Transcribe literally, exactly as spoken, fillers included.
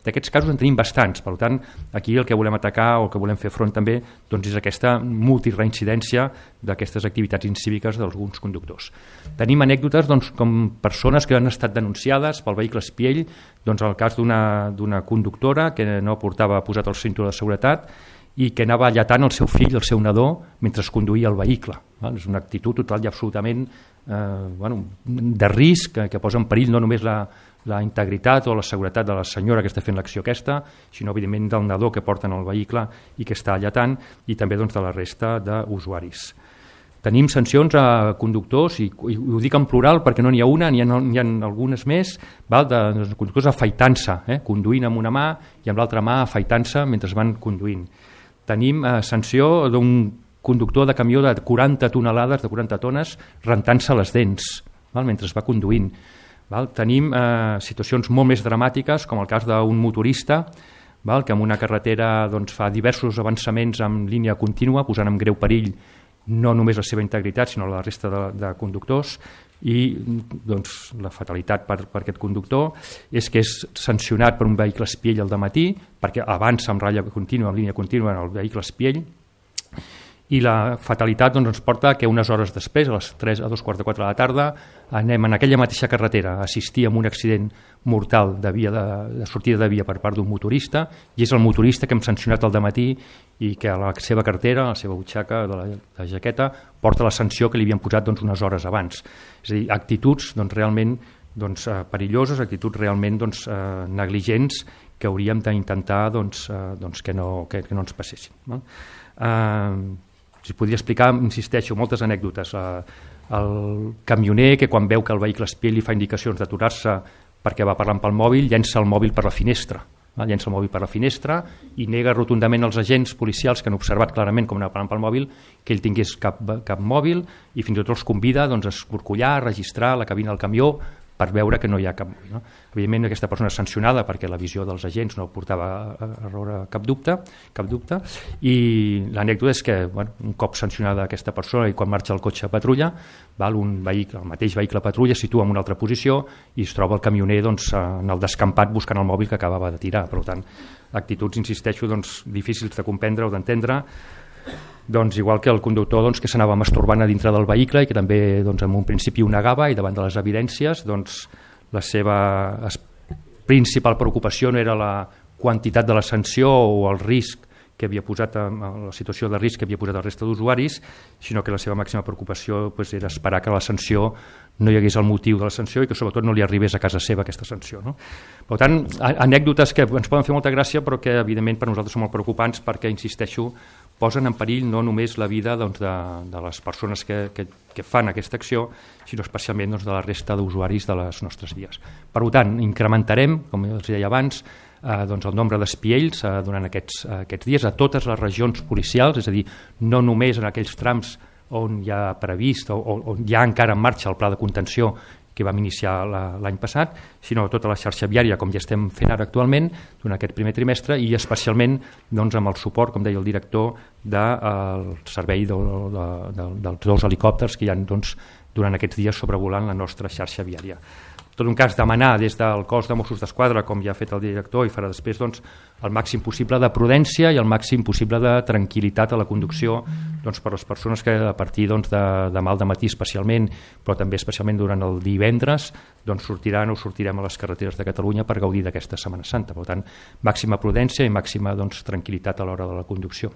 D'aquests casos en tenim bastants, per tant, aquí el que volem atacar o el que volem fer front també doncs, és aquesta multireincidència d'aquestes activitats incíviques d'alguns conductors. Tenim anècdotes doncs, com persones que han estat denunciades pel vehicle espiell, doncs el cas d'una conductora que no portava posat el cinturó de seguretat i que anava allatant el seu fill, el seu nadó, mentre es conduïa el vehicle. És una actitud total i absolutament eh, bueno, de risc que, que posa en perill no només la, la integritat o la seguretat de la senyora que està fent l'acció aquesta, sinó evidentment del nadó que porten al vehicle i que està allatant, i també doncs, de la resta d'usuaris. Tenim sancions a conductors, i, i ho dic en plural perquè no n'hi ha una, n'hi ha, n'hi ha algunes més, val, de, de conductors afaitant-se, eh, conduint amb una mà i amb l'altra mà afaitant-se mentre van conduint. Tenim eh, sanció d'un conductor de camió de quaranta tonelades, de quaranta tones, rentant-se les dents, val, mentre es va conduint. Val? Tenim eh, situacions molt més dramàtiques, com el cas d'un motorista, val, que en una carretera doncs, fa diversos avançaments en línia contínua, posant en greu perill no només la seva integritat, sinó la resta de, de conductors, i doncs, la fatalitat per, per aquest conductor és que és sancionat per un vehicle espiell al dematí, perquè avança en ratlla contínua, en línia contínua en el vehicle espiell, i la fatalitat doncs, ens porta que unes hores després, a les tres a dos quarts de quatre de la tarda, anem en aquella mateixa carretera a assistir a un accident mortal de, via de, de sortida de via per part d'un motorista, i és el motorista que hem sancionat al dematí i que a la seva cartera, a la seva butxaca de la, de la jaqueta, porta la sanció que li havien posat doncs, unes hores abans. És a dir, actituds doncs, realment doncs, eh, perilloses, actituds realment doncs, eh, negligents que hauríem d'intentar doncs, eh, doncs, que, no, que, que no ens passessin. No? Eh, si podria explicar, insisteixo, moltes anècdotes. El camioner que quan veu que el vehicle espiell li fa indicacions d'aturar-se perquè va parlant pel mòbil, llença el mòbil per la finestra. Llença el mòbil per la finestra i nega rotundament als agents policials que han observat clarament com anava parlant pel mòbil que ell tingués cap, cap mòbil, i fins i tot els convida doncs, a escorcollar, a registrar la cabina del camió per veure que no hi ha cap mòbil. No? Evidentment aquesta persona és sancionada perquè la visió dels agents no portava a error cap dubte, cap dubte, i l'anècdota és que bueno, un cop sancionada aquesta persona i quan marxa el cotxe a patrulla, val, un vehicle, el mateix vehicle patrulla es situa en una altra posició i es troba el camioner doncs, en el descampat buscant el mòbil que acabava de tirar. Per tant, actituds, insisteixo, doncs, difícils de comprendre o d'entendre, doncs, igual que el conductor doncs, que s'anava masturbant a dintre del vehicle i que també doncs, en un principi ho negava, i davant de les evidències doncs, la seva principal preocupació no era la quantitat de la sanció o el risc que havia posat, la situació de risc que havia posat el resta d'usuaris, sinó que la seva màxima preocupació doncs, era esperar que la sanció no hi hagués el motiu de la sanció i que sobretot no li arribés a casa seva aquesta sanció. No? Per tant, anècdotes que ens poden fer molta gràcia però que evidentment per nosaltres són molt preocupants perquè, insisteixo, posen en perill no només la vida doncs, de, de les persones que, que, que fan aquesta acció, sinó especialment doncs, de la resta d'usuaris de les nostres vies. Per tant, incrementarem, com els deia abans, eh, doncs, el nombre d'espiells eh, durant aquests, eh, aquests dies a totes les regions policials, és a dir, no només en aquells trams on hi ha previst o on hi ha encara en marxa el pla de contenció que vam iniciar l'any passat, sinó tota la xarxa viària, com ja estem fent ara actualment, durant aquest primer trimestre, i especialment doncs, amb el suport, com deia el director, del servei de, de, de, dels dos helicòpters que hi ha doncs, durant aquests dies sobrevolant la nostra xarxa viària. En tot un cas, demanar des del cos de Mossos d'Esquadra, com ja ha fet el director i farà després, doncs, el màxim possible de prudència i el màxim possible de tranquil·litat a la conducció doncs, per les persones que a partir doncs, de demà al dematí especialment, però també especialment durant el divendres, doncs, sortiran o sortirem a les carreteres de Catalunya per gaudir d'aquesta Setmana Santa. Per tant, màxima prudència i màxima doncs, tranquil·litat a l'hora de la conducció.